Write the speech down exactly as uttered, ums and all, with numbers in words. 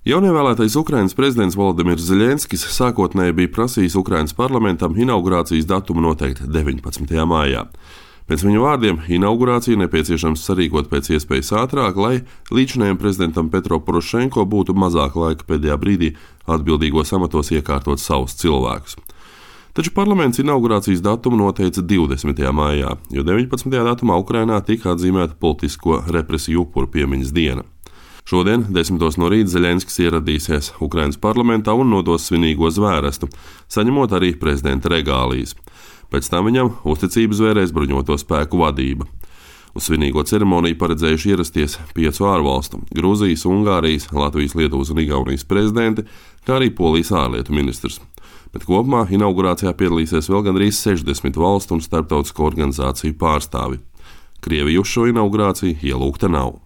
Jaunievēlētais Ukrainas prezidents Volodimirs Zeļenskis sākotnēji bija prasījis Ukrainas parlamentam inaugurācijas datumu noteikt deviņpadsmitajā maijā. Pēc viņa vārdiem inaugurāciju nepieciešams sarīkot pēc iespējas ātrāk, lai līdzinējiem prezidentam Petro Porošenko būtu mazāk laika pēdējā brīdī atbildīgos amatos iekārtot savus cilvēkus. Taču parlaments inaugurācijas datumu noteica divdesmitajā maijā, jo deviņpadsmitajā datumā Ukrainā tika atzīmēta politisko represiju upuru piemiņas diena. Šodien, desmitos no rīta, Zeļenskis ieradīsies Ukrainas parlamentā un nodos svinīgo zvērestu, saņemot arī prezidenta regālijas. Pēc tam viņam uzticību zvērēs bruņoto spēku vadība. Uz svinīgo ceremoniju paredzējuši ierasties piecu ārvalstu - Gruzijas, Ungārijas, Latvijas, Lietuvas un Igaunijas prezidenti, kā arī Polijas ārlietu ministrs. Bet kopumā inaugurācijā piedalīsies vēl gandrīz sešdesmit valstu un starptautisko organizāciju pārstāvi. Krievija uz šo inaugurāciju ielūgta nav.